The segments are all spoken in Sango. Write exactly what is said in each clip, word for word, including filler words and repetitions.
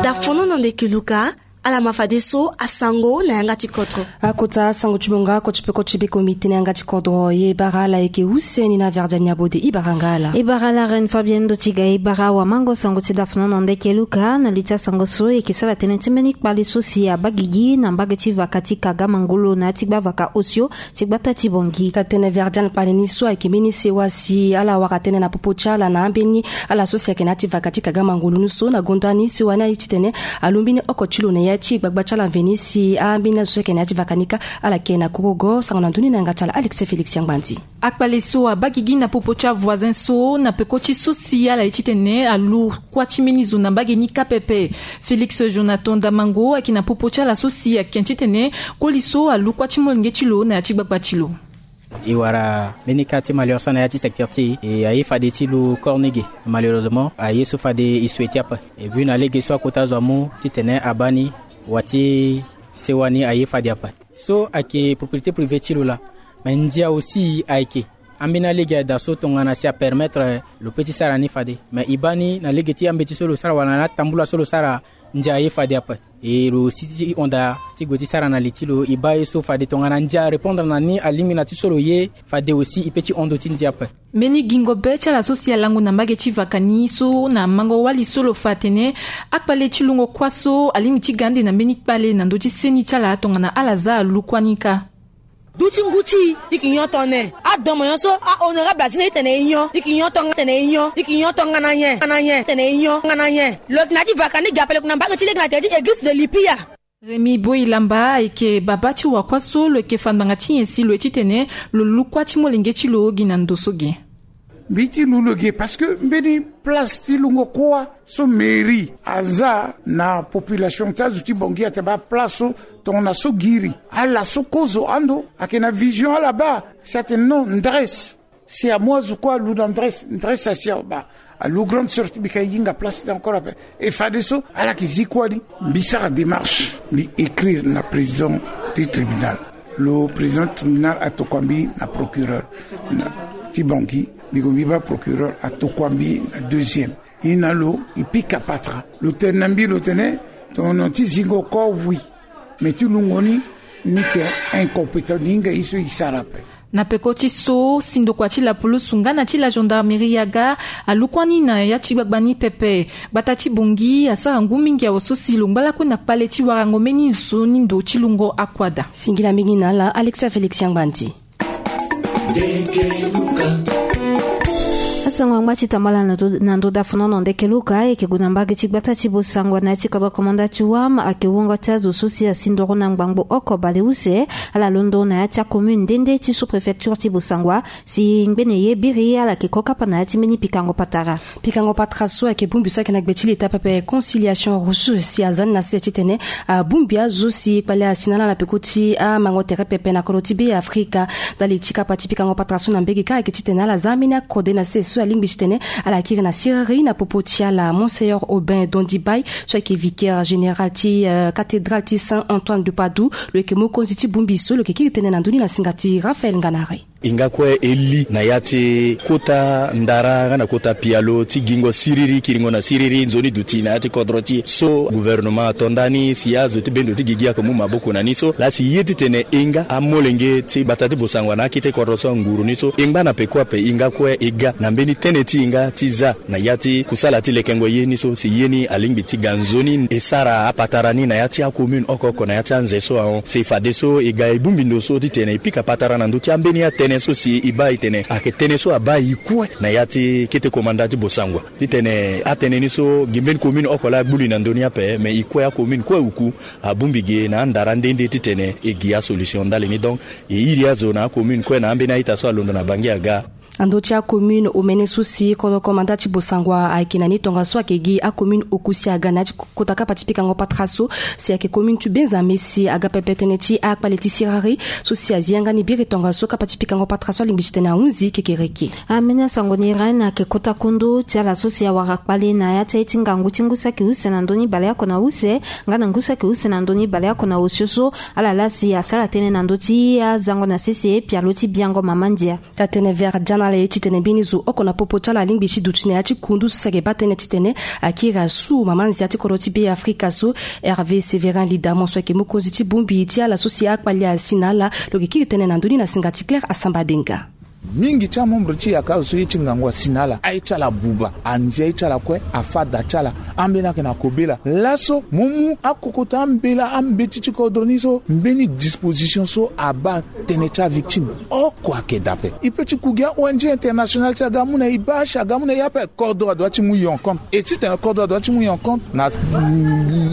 Dafono na ndeke luka. Ala ma fadeso asango na yanga ti kodro. Akota sango ti bonga koti peko ti biko mbi tene yanga ti kodro ye bara ala yeke use ni na verdiani abode ibara nga ala. Ibara la reine fabienne do ti ga ibara wamango sango ti dafono na ndeke luka na li ti asango so yeke sara tënë ti mbeni kpale so si abagigi na mbage ti vaka ti kaga mangolo na ya ti gba vaka osio ti gbata ti bongi. Tatene verdian kpale ni so ayeke mbeni sewa si ala wara tënë na popo ti ala na ambeni ala so si ayeke na ya ti vaka ti kaga mangolo ni so na gonda ni sewa ni aye titene alo mbeni oko ti lo na ya ti gbagba ti ala mveni si ambeni ala so si ayeke na ya ti vaka ni kâ ala yeke na korogo sango na ndoni na yanga ti ala alexis félix yangbanzi. Akpale so abagigi na popo ti avoisin so na peko ti so si ala ye titene alu kuâ ti mbeni zo na mbage ni kâ pepe. Félix jonathan damango ayeke na popo ti ala so si ayeke titene koli so alu kuâ ti molenge ti lo na ya ti gbagba ti lo. E wara mbeni kâ ti malheur so na ya ti secteur ti e e aye fade ti lo corps ni ge. Malheureusement aye so fade e souhaite ape. Et puis na lege so akota zo amu titene abaa ni wa ti sewa ni aye fade ape. So ayeke propriété privée ti lo laa. Mais ndia aussi ayeke ambeni alege ada so tongana si apermettre lo pe ti sara ni fade. Mais e baa ni na lege ti ambeti so lo sara wala na atambula so lo sara ndia aye fade ape. E lo si ti hon daa ti gue ti sara na li ti lo e baa ye so fade tongana ndia arépondre na ni alingbi na ti so lo ye fade aussi e pe ti hon ndo ti ndia ape. Mbeni gingo be ti ala so si alango na mbage ti vaka ni so na mango wali so lo fa atene akpale ti lungo kuâ so alingbi ti ga ande na mbeni kpale na ndö ti seni ti ala tongana ala za alu kuâ ni kâ. Duti ngu ti i ti ki nyon tone. Adomo nyon so ahonorable azina i tene i nyon i ti ki nyon tonga tene i nyon i ti ki nyon tonga na nyen na nyen tene i nyon tonga na nyen. Lo yeke na ya ti vaka ni gi ape lo yeke na mbage ti lege na tere ti église de lipia. Rémi boyi lamba ayeke babâ ti wakua so lo yeke fa ngbanga ti nyen si lo ye titene lo lu kuâ ti molenge ti lo gi na ndo so ge. Mbi ti lu lo ge parce que mbeni place ti lungo kuâ so mairie aza na population ti azo ti bongi atene baa place so tongana so giri ala so kozo ando ayeke na vision ala baa si atene non ndresse. Si amu azo kue alu na ndresse ndresse asi awe baa alu grande sœur ti mbi ka e hinga place ti encore ape. E fadeso ala yeke zi kuâ ni. Mbi sara démarche mbi écrire na président ti tribunal. Lo président ti tribunal atokua mbi na procureur ti bongi. Mbi gue mbi baa procureur atokua mbi na deuxième. E na lo e pika patara lo tene na mbi lo tene tongana ti zingo kor oui. Mais ti lungo ni ni yeke incompétent ni hinga ye so e sara ape. Na peko ti so si ndokua ti lapulusu nga na ti la gendarmerie aga alu kuâ ni na ya ti gbagba ni pepe. Gbata ti bongi asara ngu mingi awe so si lo ngba lakue na kpale ti warango mbeni zo ni ndo ti lungo akuâ daa. Singila mingi na ala alexia félix yangbanzi. Asango angba ti tambala na ndo dafono na ndeke luka ayeke gue na mbage ti gbata ti bosangwa na ya ti kodro komanda ti wam ayeke wongo ti azo so si asi ndoro na ngbangbo oko baleuse. Ala londo na ya ti acommune nde nde ti sous-préfecture ti bosangwa si ngbene ye biri ala yeke ko kapa na ya ti mbeni pikango patara. Pikango patara so ayeke bongbi so ayeke na gbe ti leta pepe conciliation rousseau si aza ni na sese titene abongbi azo si kpale asi na ala na peko ti amango tere pepe na kodro ti be afrika. Ndali ti kapa ti pikango patara so na mbege kâ ayeke titene ala za ambeni akode na sese so alingbi titene ala kiri na siriri na popo ti ala monseigneur aubin dondi bay so ayeke vicaire général ti cathédrale ti saint antoine de padoue. Lo yeke mokonzi ti bongbi so lo yeke kiri tënë na ndö ni na singa ti raphaël nganare. E nga kue e li na ya ti kota ndara nga na kota pialo ti gingo siriri kiringo na siriri nzoni duti na ya ti kodro ti e so gouvernement ato ndani si azo ti bendo ti gigi ayeke mu maboko na ni so laa si ye titene e nga amolenge ti gbata ti bosangwa na akete kodro so anguru ni so e ngba na peko ape e nga kue e ga na mbeni tënë ti e nga ti za na ya ti kusala ti lekengo ye ni so si ye ni alingbi ti ga nzoni e sara apatara ni na ya ti acommune oko oko na ya ti anze so ahon si fadeso e ga e bongbi ndo so titene e pika patara na ndö ti ambeni atënë so si e baa e tene ayeke tënë so abaa e kue na ya ti kete komanda ti bosangwa titene atënë ni so gi mbeni commune oko laa agbu li na ndö ni ape me e kue acommune kue uku abongbi ge na andara nde nde titene e gi asolution ndali ni donc e iri azo na acommune kue na ambeni a-ita so alondo na bangi aga. Na ndö ti acommune omene so si kodro komanda ti bosangwa ayeke na ni tongaso ayeke gi acommune oku si aga na ya ti kota kapa ti pikango patara so si ayeke commune ti benzame si aga pepe tënë ti akpale ti siriri so si azi yanga ni biri tongaso kapa ti pikango patara so alingbi titene ahunzi kekereke. Ambeni asango ni ren ayeke kota kundu ti ala so si awara kpale na ya ti aye ti ngangu ti ngu saki use na ndö ni baleoko na use nga na ngu saki use na ndö ni baleoko na osio so ala laa si asara tënë na ndö ti azango na sese pialo ti biango mama ndia. Tatene verdian Ala ye titene mbeni zo oko na popo ti ala alingbi ti duti na ya ti kundu so si ayeke baa tënë titene akiri asu mama nzia ti kodro ti Be Afrika so, Hervé Sévérin Lidamon so ayeke mokonzi ti bongbi ti ala so si akpali asi na ala. Lo yeke kiri tënë na ndö ni na singa ti Claire Asamba Denga. Mingi ti amembre ti yaka azo so ye ti ngangu asi na ala, aye ti ala abuba, anzia ye ti ala kue, afa da ti ala, ambeni ayeke na kobela. Laso mo mu akokota ambela ambeti ti kodro ni so mbeni disposition so abaa tënë ti avictime oko ayeke daa ape. E peut ti ku gi a-O N G international si aga amu na e baa si aga amu na e ape. Kodro adoit ti mu e en compte. E titene kodro adoit ti mu e en compte na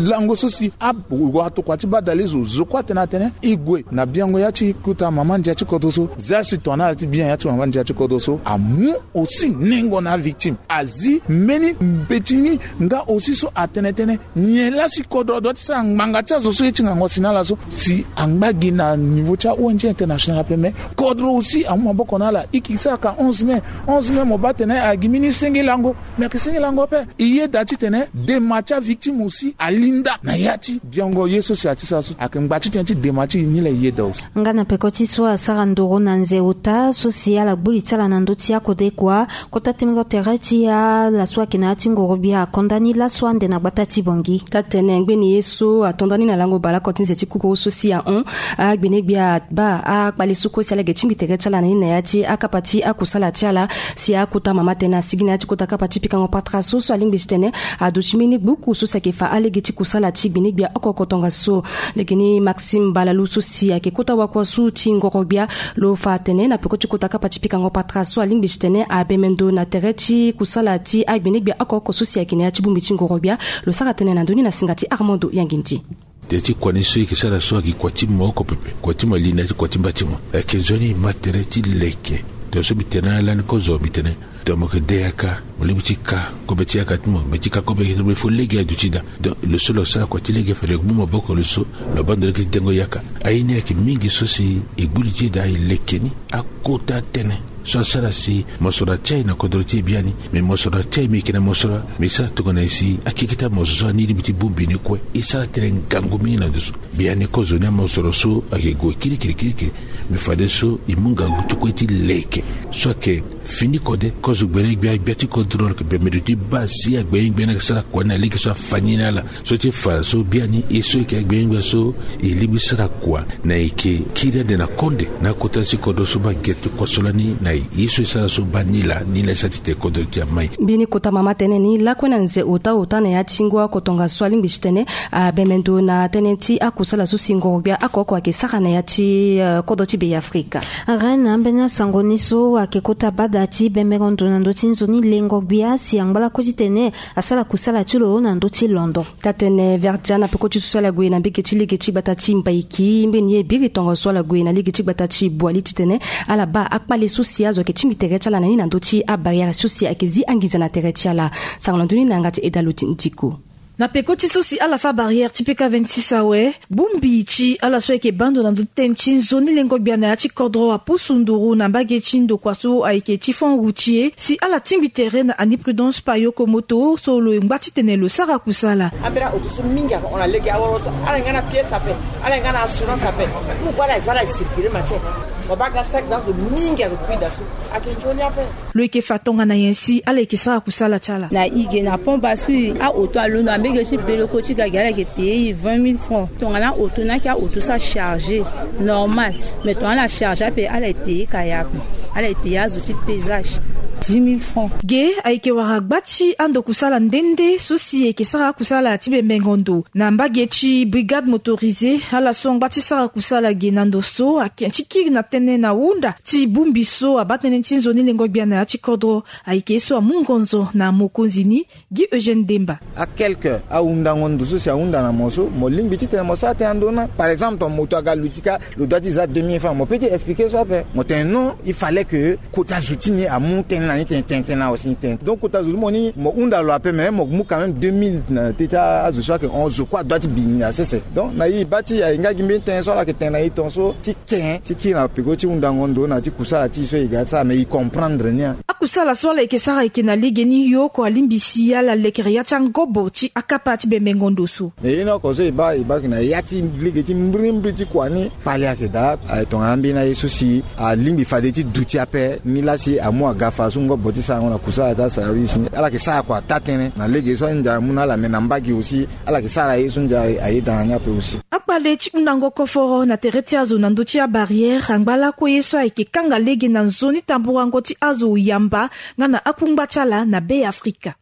lango so si awatokua ti badale zo zo kue atene atene e gue na biango ya ti kota mama ndia ti kodro so. Za si tongana ala ti bian ya ti mama ndia ti kodro so amu aussi nengo na avictime, azi mbeni mbeti ni nga aussi so atene tënë nyen laa si kodro adoit ti sara ngbanga ti azo so ye ti ngangu asi na ala so. Si angba gi na niveau ti a-O N G international ape, mais kodro aussi amu maboko na ala. E ke sara ka onze mai. Onze mai mo baa tene agi mbeni senge lango. Mais ayeke senge lango ape. E yeda titene dema ti avictime aussi alinda na ya ti biango ye so si ati sara so ayeke ngba titene ti dema ti e ni laa e yeda aussi. Nga na peko ti so asara ndoro na nze ota so si ala gbu li ti ala na ndö ti akodekua, kota tengo tere ti ala so ayeke na ya ti ngorogbia akonda ni laso ande na gbata ti Bangui. Taa tene ngbeni ye so atonda ni na lango baleoko ti nze ti kukuru so si ahon, agbenegbia abaa akpale so kue si ala yeke tingbi tere ti ala na ni na ya ti akapa ti akusala ti ala. Si akota mama tene asigi na ya ti kota kapa ti pikango patara so so alingbi titene aduti mbeni gbuku so si ayeke fa alege ti kusala ti gbenegbia oko oko tongaso. Lege ni Maxime Balalu so si ayeke kota wakuasu ti ngorogbia, lo fa atene na peko ti kota kapa ti pikango patara so alingbi titene abembe ndo na tere ti kusala ti agbenegbia oko oko so si ayeke na ya ti bongbi ti ngorogbia. Lo sara tënë na ndö ni na singa ti Armando Yangindi. Tere ti kua ni so e yeke sara so ayeke kua ti mo oko pepe, kua ti mo ali na ya ti kua ti mba ti mo. Ayeke nzoni e ma tere ti leke. Tongaso mbi tene na ala ni kozo mbi tene, donc mo yeke de yaka, mo lingbi ti ka kobe ti yaka ti mo, me ti ka kobe ti mo, il faut lege aduti daa. Donc lo so lo sara kua ti lege fade lo mu maboko lo so, lo baa ndo lege ti dengo yaka. Aye ni ayeke mingi so si e gbu li ti e daa e leke ni. Akota tënë so asara si mosoro atia e na kodro ti e biani. Me mosoro atia e me e yeke na mosoro, me e sara tongana nyen si akeke ti amosoro so ani lingbi ti bongbi ni kue. E sara tënë ngangu mingi na ndo so. Biani kozo ni amosoro so ayeke gue kirikiri kirikiri. Me fadeso e mu ngangu ti kue ti leke so ayeke fini kode. Kozo gbene gbia gbia ti kodro lo yeke bembe ndo ti baa si agbene gbia ni ayeke sara kua ni na lege so afa ni na ala. So ti fa so biani e so e yeke agbene gbia so e lingbi sara kua na e yeke kiri ande na konde na akota ti kodro so baa gere ti kua so lani na e so e sara so baa ni laa ni laa e sara titene kodro ti e amai. Mbeni kota mama tënë ni lakue na nze ota ota na ya ti ngu oko tongaso alingbi titene abembe ndo na tënë ti akusala so si ngorogbia oko oko ayeke sara na ya ti, eh, kodro ti Be Afrika. Reine, ambeni asango ni so ayeke kota bada ti bembengo ndo na ndö ti nzoni lengo gbia si angba lakue titene asara kusala ti lo na ndö ti londo. Taa tene Verdia na peko ti so si ala gue na mbege ti lege ti gbata ti Mbaiki, mbeni ye biri tongaso ala gue na lege ti gbata ti Boali titene ala baa akpale so si azo ayeke tingbi tere ti ala na ni na ndö ti abarrière so si ayeke zi anginza na tere ti ala. Sango na ndö ni na yanga ti Edalo ti Ndiko. Na peko ti so si ala fâ barrière ti P K vingt-six awe, bongbi ti ala so ayeke baa ndo na ndö ti tënë ti nzoni lengo gbia na ya ti kodro apusu nduru na mbage ti ndokua so ayeke ti Fonds Routier si ala tingbi tere na Annie Prudence Payoko Moto so lo ngba titene lo sara kusala. Ambeni aoto so mingi ayeke hon na lege aworo so, ala yeke nga na pièce ape, ala yeke nga na assurance ape. Mu kue ala ye za ala ye circuler matière. Mo baa ga stack za azo mingi ayeke kui daa so. Ayeke nzoni ape. Lo yeke fa tongana nyen si ala yeke sara kusala ti ala? Na e ge na Pont Bascule, aoto alondo na mbege ti Beloko ti ga ge, ala yeke payer e vingt mille francs. Tongana aoto ni ayeke aoto so achargé normal, mais tongana ala chargé ape, ala ye payer kaya ape. Ala ye payer azo ti pesage dix mille francs. Ge ayeke wara gba ti ando kusala nde nde so si e yeke sara akusala ti bembengo ndo na mbage ti brigade motorisée. Ala so angba ti sara kusala ge na ndo so ayeke ti kiri na tënë na hunda ti bongbi so abaa tënë ti nzoni lengo gbia na ya ti kodro. Ayeke ye so amu ngonzo na mokonzi ni, Guy Eugène Demba. A quelque ahundango ndo so si ahunda na mo so, mo lingbi titene mo sara tënë na ndö ni. Par exemple, ton moto aga luti kâ, lo doit ti za deux mille francs. Mo peut ti expliquer so ape. Mo tene non, il fallait que kota zo ti ni amu tënë na Ni tene tene tene na aussi ni tene. Donc kota zo ti mo ni mo hunda lo ape, mais mo mu quand même deux mille na teti azo so ayeke hon zo kue adoit ti bi ni na sese. Donc na e e baa ti e aye nga gi mbeni tënë so ala yeke tene na e tongaso ti ken ti kiri na peko ti hundango ndo na ti kusala ti e so e ga ti sara, mais e comprendre ni. Akusala so ala yeke sara ayeke na legeni, ye oko alingbi si ala lekere ya ti angobo ti akapa ti bembengo ndo so. Mais ye ni oko so e baa e baa ayeke na ya ti lege ti mbirimbiri ti kua ni. Kpale ayeke daa. Aye tongana ambeni aye so si alingbi fade ti duti ape ni laa si amu aga fa so ngobo ti sarango na kusala ti asara wi si ni ala yeke sara kua taa-tënë na lege so andia amu na ala, me na mbage aussi ala yeke sara ye so ndia ayeda na ni ape aussi. Akpale ti hundango koforo na tere ti azo na ndö ti abarrière angba lakue ye so ayeke kanga lege na nzoni tamburango ti azo yamba nga na akungba ti ala na Be Afrika.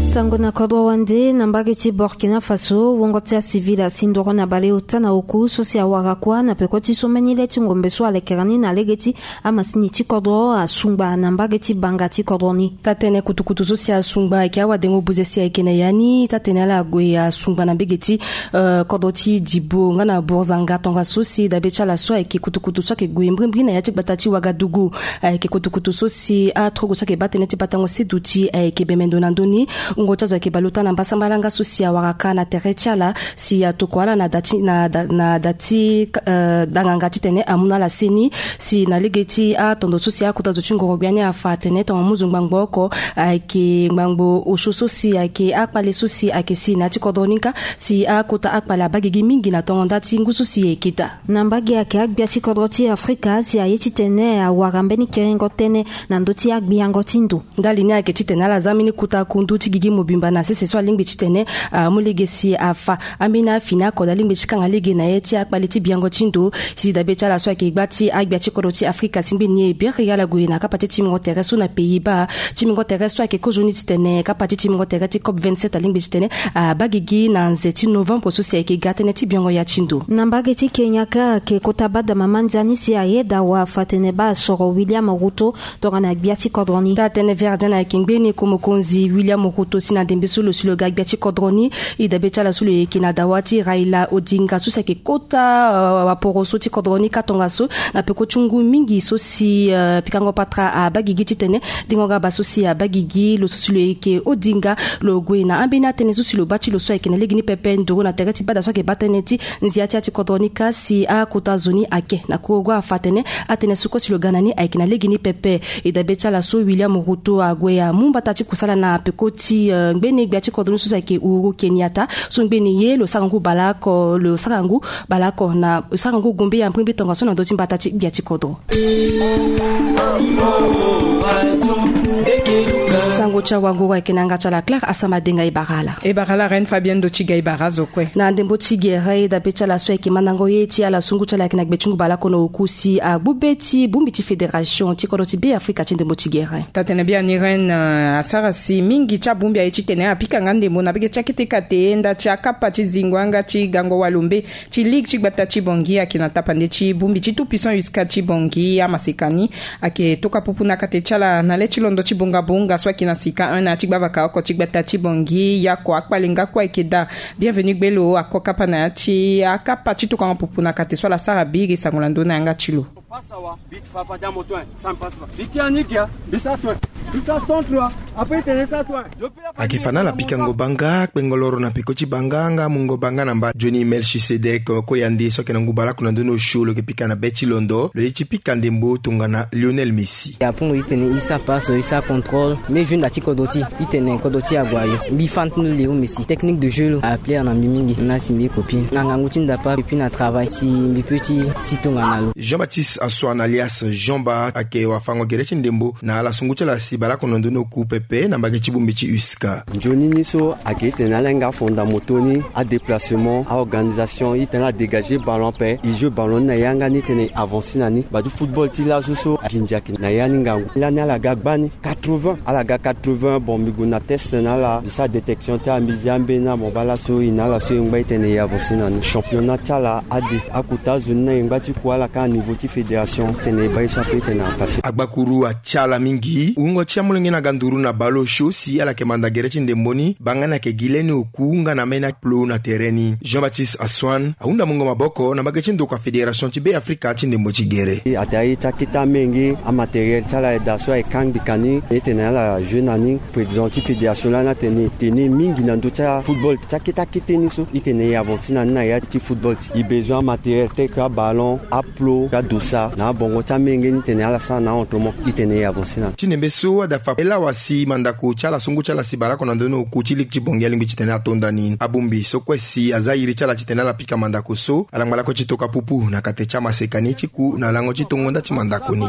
Sango na kodro wande na mbage ti Burkina Faso, wongo ti acivil asi ndoro na baleota na oku so si awara kuâ na peko ti so mbeni le ti ngombe so alekere ni na lege ti amasini ti kodro asungba na mbage ti banga ti kodro ni. Taa-tënë kutukutu so si asungba ayeke awadengo buze si ayeke na ya ni. Taa-tënë ala gue asungba na mbage ti, eh, kodro ti Dibo nga na Burzanga tongaso si dabe ti ala so ayeke kutukutu so ayeke gue mbirimbiri na ya ti gbata ti Wagadugu. Ayeke kutukutu so si atrogo so ayeke baa tënë ti batango seduti ayeke bembe ndo na ndö ni. Wungo ti azo ayeke baleota na mbasambala nga so si awara ka na tere ti ala si atoko ala na da ti, na da, na da ti, eh, danganga titene amu na ala seni. Si na lege ti atondo so si akota zo ti ngoro-gbia ni afa atene tongana mu zo ngbangbo oko ayeke ngbangbo osio so si ayeke akpale so si ayeke si na ya ti kodro ni kâ. Si akota akpale abaa gigi mingi na tongo nda ti ngu so si e yeke daa. Na mbage ayeke agbia ti kodro ti Afrika si aye titene awara mbeni kerengo tënë na ndö ti agbiango ti ndo. Ndali ni ayeke titene ala zia mbeni kota kundu ti gigi mobimba na sese so alingbi titene amu lege si afa ambeni afini akode alingbi ti kanga lege na ye ti akpale ti biango ti ndo. Si dabe ti ala so ayeke gba ti agbia ti kodro ti Afrika si ngbeni ye biri ala gue na kapa ti timbingo tere so na Pays-Bas. Timbingo tere so ayeke kozoni titene kapa ti timbingo tere ti COP vingt-sept alingbi titene abaa gigi na nze ti novembre so si ayeke ga tënë ti biango ya ti ndo. Na mbage ti Kenya kâ ayeke kota bada mama ndia ni si ayeda wa afa atene baa asoro William Ruto tongana gbia ti kodro ni. Taa-tënë Verdien ayeke ngbeni ko mokonzi William Ruto si na ndembe so lo si lo ga gbia ti kodro ni. E dabe ti ala so lo yeke na dawa ti Raila Odinga so si ayeke kota, eh, waporoso ti kodro ni kâ tongaso na peko ti ngu mingi so si, eh, pikango patara abaa gigi titene dingo ga baa so si abaa gigi lo so si lo yeke Odinga. Lo gue na ambeni atënë so si lo baa ti lo so ayeke na lege ni pepe nduru na tere ti bada so ayeke baa tënë ti nzia ti ya ti kodro ni kâ si akota zo ni ayeke na korogo afa atene atënë so kue si lo ga na ni ayeke na lege ni pepe. E dabe ti ala so William Ruto ague amu mbata ti kusala na peko ti, eh, ngbeni gbia ti kodro ni so si ayeke Uhuru Kenyatta. So ngbeni ye lo sara ngu baleoko, lo sara ngu baleoko na, lo sara ngu gombe ya mbirimbiri tongaso na ndö ti mbata ti gbia ti kodro. Sango ti awanguru ayeke na yanga ti ala Claire Asama Denga. E bara ala. E bara ala Reine Fabienne ndo ti ga. E bara azo kue. Na ndembo ti gere e dabe ti ala so ayeke mandango ye ti ala sungu ti ala ayeke na gbe ti ngu baleoko na oku si agbu be ti bongbi ti fédération ti kodro ti Be Afrika ti ndembo ti gere. Taa-tënë biani Reine, eh, asara si mingi ti abongbi aye titene apika nga ndembo na bege ti akete kate nda ti akapa ti zingo yanga ti gango walombe ti ligue ti gbata ti Bangui ayeke na tapande ti bongbi ti Tout Puissant USCA ti Bangui. Amaseka ni ayeke tokua pupu na kate ti ala na le ti londo ti bongabonga so ayeke na sika un na ya ti gbavaka oko ti gbata ti Bangui. Yako akpale nga kue ayeke daa. Bienvenu Gbelo ako kapa na ya ti akapa ti tokuango pupu na kate so ala sara biri sango na ndö na yanga ti lo. Passa wa, vite, papa, dans mon toin, ça me passe pas. Vite, Yannick, hein. Vite, ça tourne. Vite, ça tourne, toi. Après, il te laisse à toi. Ayeke fa na ala pikango banga, kpengo loro na peko ti banga nga mungo banga na mba. Johnny Melchisedek Koyande so ayeke na ngu baleoko na ndö ni osio lo yeke pika na be ti londo. Lo ye ti pika ndembo tongana Lionel Messi. Apungo itene isa passe, isa contrôle. Mais je nda ti kodro ti itene kodro ti ague ayo. Mbi fan ti ndo Léo Messi. Technique de jeu lo a plaire na mbi mingi. Na si mbi copine na ngangu ti ndapa et puis na travail si mbi peut ti si tongana lo. Jean-Baptiste Ansoine alias Jean Ba ayeke wafango gere ti ndembo na ala sungu ti ala si baleoko na ndö ni oku pepe na mbage ti bongbi ti USCA. Nzoni ni so ayeke itene ala hinga afonda moto ni, adéplacement, aorganisation, itene ala dégager ballon ape, e joue ballon ni na yanga ni tene e avancer na ni. Badu football ti laso so aginzi ayeke na ya ni ngangu. Lani ala ga gbani quatre-vingts, ala ga quatre-vingts. Bon, mbi gue na test na ala, mbi sara détection ti ala, mbi zi ambeni abon baa laso e na ala so e ngba itene e avancer na ni. Championnat ti ala ade, akota azo ni na e ngba ti ku ala kâ na niveau ti fédération, tene e baa ye so ape tene apasser. Agbakuru atia ala mingi. Wungo ti amolenge na ga nduru na Balo sio si ala yeke manda gere ti ndembo ni, banga ni ayeke gi leni oku nga na ambeni aplo na tere ni. Jean Baptiste Assoine ahunda mungo maboko na mbage ti ndokua fédération ti Be Afrika ti ndembo ti gere. Ata ye ti akete amenge, amatériel ti ala eda so aye kangbi ka ni, e tene ala jeu na ni. Président ti fédération lani atene e tene mingi na ndö ti afootball ti akete akete ni so. E tene e avancer na ni na ya ti football ti e besoin amatériel tel que aballon, aplo, adosa na abongo ti amenge ni, tene ala sara na aentraînement. E tene e avancer na ni. Ti ndembe so adafa elawa si mandako ti ala, songo ti ala si bale oko na ndö ni oku ti ligue ti Bangui alingbi titene ato nda ni. Abongbi so kue si aza iri ti ala titene ala pika mandako so, alangba lakue ti toka pupu na kate ti amaseka ni ti ku na lango ti tongo nda ti mandako ni.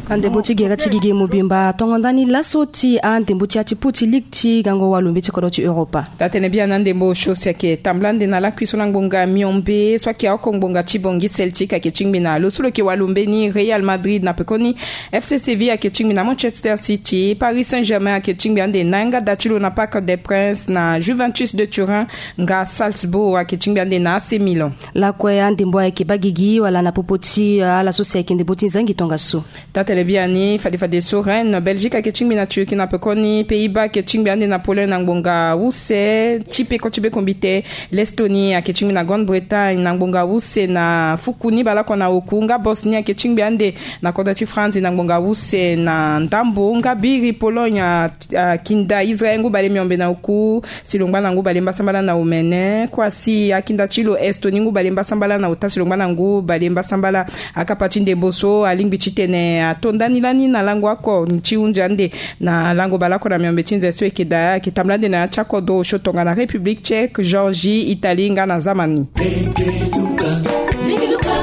Andembo ti gere ti gigi mobimba atongo nda ni laso ti andembo ti ya ti pool ti ligue ti gango walombe ti kodro ti Europa. Taa-tene biani, andembo osio si ayeke tambula ande na lakui so na ngbonga miombe so ayeke oko ngbonga ti Bangui Celtic ayeke tingbi na lo so lo yeke walombe ni, Real Madrid, na pekoni F C Séville ayeke tingbi na Manchester City, Paris Saint-Germain ayeke tingbi ande na yanga da ti lo na Parc des Princes, na Juventus de Turin, nga Salzbourg ayeke tingbi ande na A C Milan. Lakue andembo ayeke baa gigi wala na popo ti, eh, ala so si ayeke ndembo ti nzangi tongaso. Taa-tene biani, fade fadeso Rennes, Belgique ayeke tingbi na Turquie, na pekoni Pays-Bas ayeke tingbi ande na Pologne na ngbonga use ti peko ti be kombite. L'Estonie ayeke tingbi na Grande-Bretagne na ngbonga use na fuku ni bale oko na oku, nga Bosnie ayeke tingbi ande na kodro ti France na ngbonga use na ndambo, nga biri Pologne a, akinda Israël ngu bale miombe na oku si lo ngba na ngu bale mbasambala na omene. Kua si akinda ti lo Estonie ngu bale mbasambala na ota si lo ngba na ngu bale mbasambala. Akapa ti ndembo so alingbi titene ato nda ni lani na lango oko ti hunzi ande na lango bale oko na miombe ti nze so eke daa, eke tambula ande na ya ti akodro osio tongana République Tchèque, Géorgie, Italie nga na Zamani.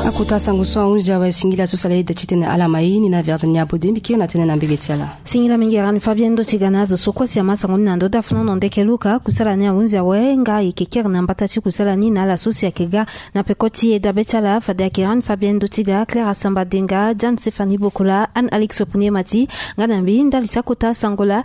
Akota sango so ahunzi awe, singila so sala ida titene ala ma ye ni na Virginie Abodé, mbi kiri na tënë na mbege ti ala. Singila mingi Rani Fabien Ndotiga na azo so kue si ama sango ni na ndö ti afulano ndeke Luka. Kusala ni ahunzi awe nga e yeke kiri na mbata ti kusala ni na ala so si ayeke ga na peko ti e dabe ti ala. Fade ayeke Rani Fabien Ndotiga, Claire Asamba Denga, Jeanne Stéphanie Bokola, Anne Alix Opuniemati, nga na mbi ndali ti akota sango laa.